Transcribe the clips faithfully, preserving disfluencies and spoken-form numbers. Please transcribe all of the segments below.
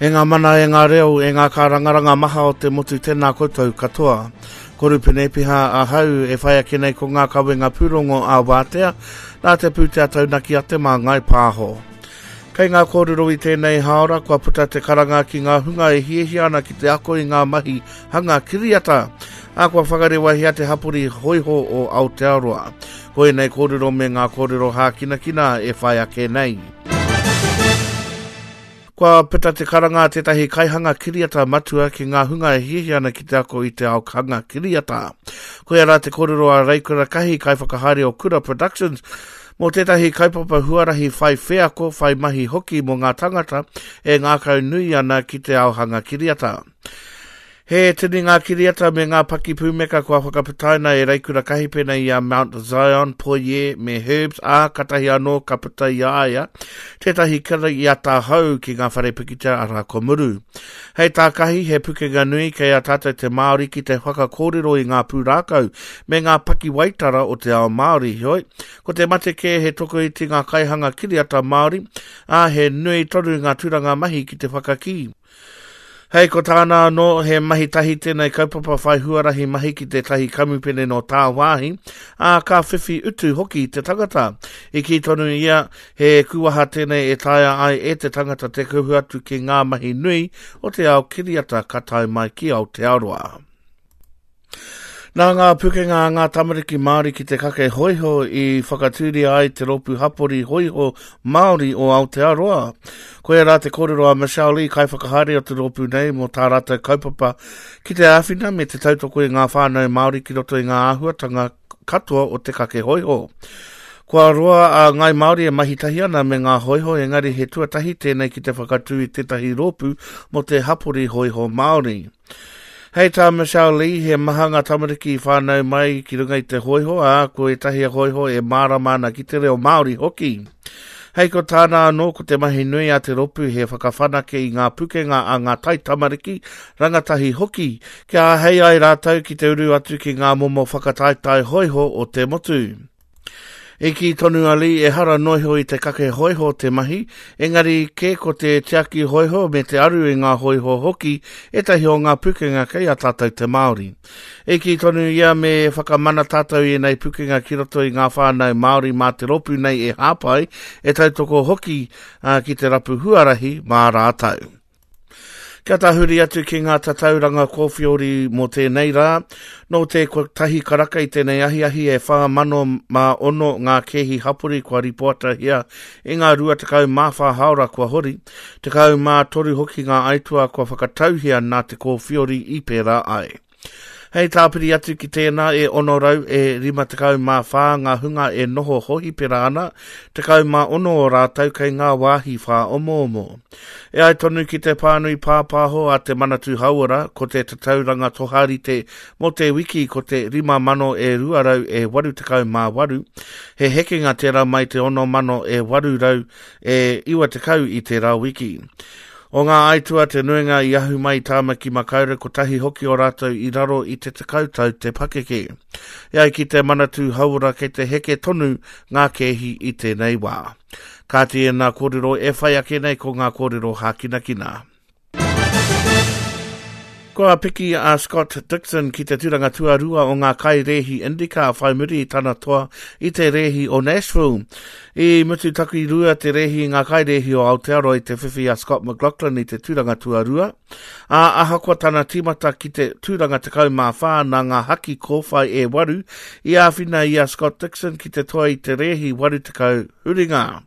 E ngā mana, e ngā reo, e ngā kārangaranga maha o te motu tēnā koutou katoa. Ko Rupene Piha ahau e whai ake nei ko ngā kawenga pūrongo a Wātea, nā te pūtea taunaki a Te Māngai Pāho. Kei ngā kōrero i tēnei haora kua puta te karanga ki ngā hunga e hiahia ana ki te ako i ngā mahi hanga kiriata, ā kua whakarewahia te hapori hoiho o Aotearoa. Ko ēnei kōrero me ngā kōrero hākinakina e whai ake nei. Kua puta te karanga a tētahi kaihanga kiriata matua ki ngā hunga e hiahia ana ki te ako i te ao hanga kiriata. Koia rā te kōrero a Reikura Kahi, kaiwhakahaere o Kura Productions, mō tētahi kaupapa huarahi whai wheako, whai mahi hoki mō ngā tangata e ngākau nui ana ki te ao hanga kiriata. He tini ngā kiriata me ngā pakipūmeka kua whakaputaina e Reikura Kahi pēnei i a Mount Zion, Poie me Herbs, ā, katahi anō ka puta i a ia tētahi kiriata hou ki ngā whare pikitia arā ko Muru. Hei tā Kahi, he pukenga nui kei a tātou te Māori ki te whakakōrero i ngā pūrākau me ngā pakiwaitara o te ao Māori. Heoi, ko te mate kē he tokoiti ngā kaihanga kiriata Māori, ā, he nui tonu ngā tūranga mahi ki te whakakī. Hei ko tāna anō, he mahi tahi tēnei kaupapa whai huarahi mahi ki tētahi kamupene nō tāwāhi, ā, ka whiwhi utu hoki te tangata. I kī tonu ia, he kuaha tēnei e taea ai e te tangata te kuhu atu ki ngā mahi nui o te ao kiriata ka tae mai ki Aotearoa. Nā ngā pukenga a ngā tamariki Māori ki te kake hoiho i whakatūria ai te rōpū hapori hoiho Māori o Aotearoa. Koia rā te kōrero a Michelle Lee, kaiwhakahaere o te rōpū nei mō tā rātou kaupapa ki te āwhina me te tautoko i ngā whānau Māori ki roto i ngā āhuatanga katoa o te kake hoiho. Kua roa a Ngai Māori e mahi tahi ana me ngā hoiho, engari he tuatahi tēnei ki te whakatū i tētahi rōpū mō te hapori hoiho Māori. Hei tā Michelle Lee, he maha ngā tamariki i whānau mai ki runga i te hoiho, ā, ko ētahi hoiho e mārama ana ki te reo Māori hoki. Hei ko tāna anō, ko te mahi nui a te rōpū he whakawhanake i ngā pukenga a ngā taitamariki, rangatahi hoki, kia āhei ai rātou ki te uru atu ki ngā momo whakataetae hoiho o te motu. I kī tonu a Lee, ehara noa iho i te kake hoiho te mahi, engari kē ko te tiaki hoiho me te aru i ngā hoiho hoki ētahi o ngā pukenga kei a tātou te Māori. I kī tonu ia me whakamana tātou i ēnei pukenga ki roto i ngā whānau Māori mā te rōpū nei e hāpai, e tautoko hoki uh, ki te rapu huarahi mā rātou. Kia tahuri atu ki ngā tatauranga kōwhiori mō tēnei rā, nō te kotahi karaka i tēnei ahiahi e whā mano mā ono ngā kēhi hapori kua ripoatahia i ngā rua tekau mā whā haora kua hori, tekau mā toru hoki ngā aituā kua whakatauhia nā te kōwhiori i pērā ai. Hei tāpiri atu ki tēnā e ono rau e rima tekau mā whā ngā hunga e noho hohipera ana, tekau mā ono o rātou kei ngā wāhi whāomoomo. E ai tonu ki te pānui pāpāho a te Manatū Hauora, ko te tatauranga toharite mō te wiki ko te rima mano e rua rau e waru tekau mā waru, he hekenga tērā mai te ono mano e waru rau e iwa tekau i tērā wiki. O ngā aitua te nuinga i ahu mai i Tāmaki Makaurau, kotahi hoki o rātou i raro i te tekau tau te pakeke. E ai ki te Manatū Hauora kei te heke tonu ngā kēhi i tēnei wā. Kāti ēnā kōrero e whai ake nei ko ngā kōrero hākinakina. Kua piki a Scott Dixon ki te tūranga tuarua o ngā kairēhi IndyCar whai muri i tana toa i te rēhi o Nashville. I mutu takirua te rēhi i ngā kairēhi o Aotearoa i te whiwhi a Scott McLaughlin i te tūranga tuarua. Ā, ahakoa tana tīmata ki te tūranga tekau mā whā nā ngā haki kōwhai e waru i āwhina i a Scott Dixon ki te toa i te rēhi waru tekau huringa.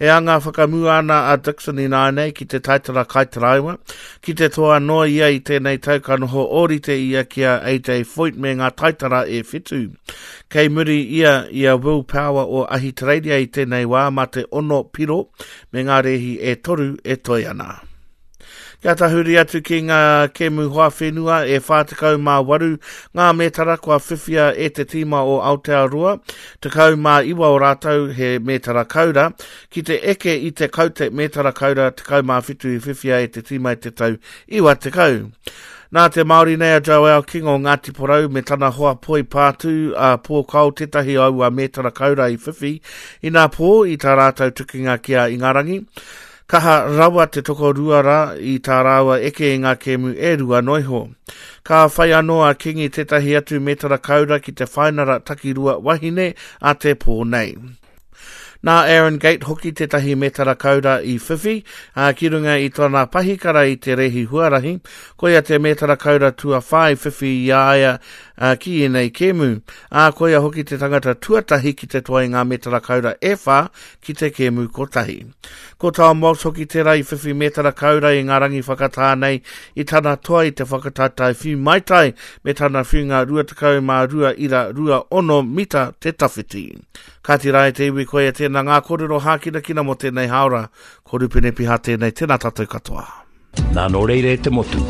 E anga whakamua ana a Dixon ināianei ki te taitara kaitaraiwa, ki te toa noa ia i tēnei tau ka noho ōrite ia ki a A J Foyt me ngā taitara e whitu. Kei muri ia i a Will Power o Ahitereiria i tēnei wā mā te ono piro me ngā rēhi e toru e toe ana. Kia tahuri atu ki ngā kēmu hoa whenua e whā tekau mā waru ngā mētara kua whiwhia e te tīma o Aotearoa, tekau mā iwa o rātou he mētara kaura, ki te eke i te kaute mētara kaura tekau mā whitu i whiwhia e te tīma i te tau iwa tekau. Nā te Māori nei a Joel King o Ngāti Porou me tana hoa poi pātū a Pōkao tētahi aua mētara kaura i whiwhi inā pō i tā rātou tukinga ki a Ingarangi. Kaha rawa te tokorua rā i tā rāua eke i ngā kēmu e rua noa iho. Ka whai anō a Kingi tētahi atu metara kaura ki te whainara takirua wahine a te pō nei. Nā Aaron Gate hoki tētahi metara kaura i whiwhi, ā, ki runga i tōna pahikara i te rēhi huarahi, koia te metara kaura tuawhā i whiwhi i a ia ki ēnei kēmu, ā, koia hoki te tangata tuatahi ki te toa i ngā metara kaura e whā ki te kēmu kotahi. Ko Tom Walsh hoki tērā i whiwhi metara kaura i ngā rangi whakatā nei i tana toa i te whakataetae whiu maitai me tana whiunga rua tekau mā rua ira rua ono mita te tawhiti. Kāti rā e te iwi koia tēnā ngā kōrero hākinakina mō tēnei hāora. Ko Rupene Piha tēnei, tēnā tātou katoa. Nā nō reira e te motu,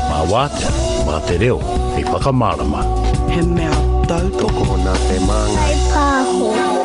mā wātea, mā te reo, hei whakamārama. He mea tautoko. Tokona te māngai. Pāho.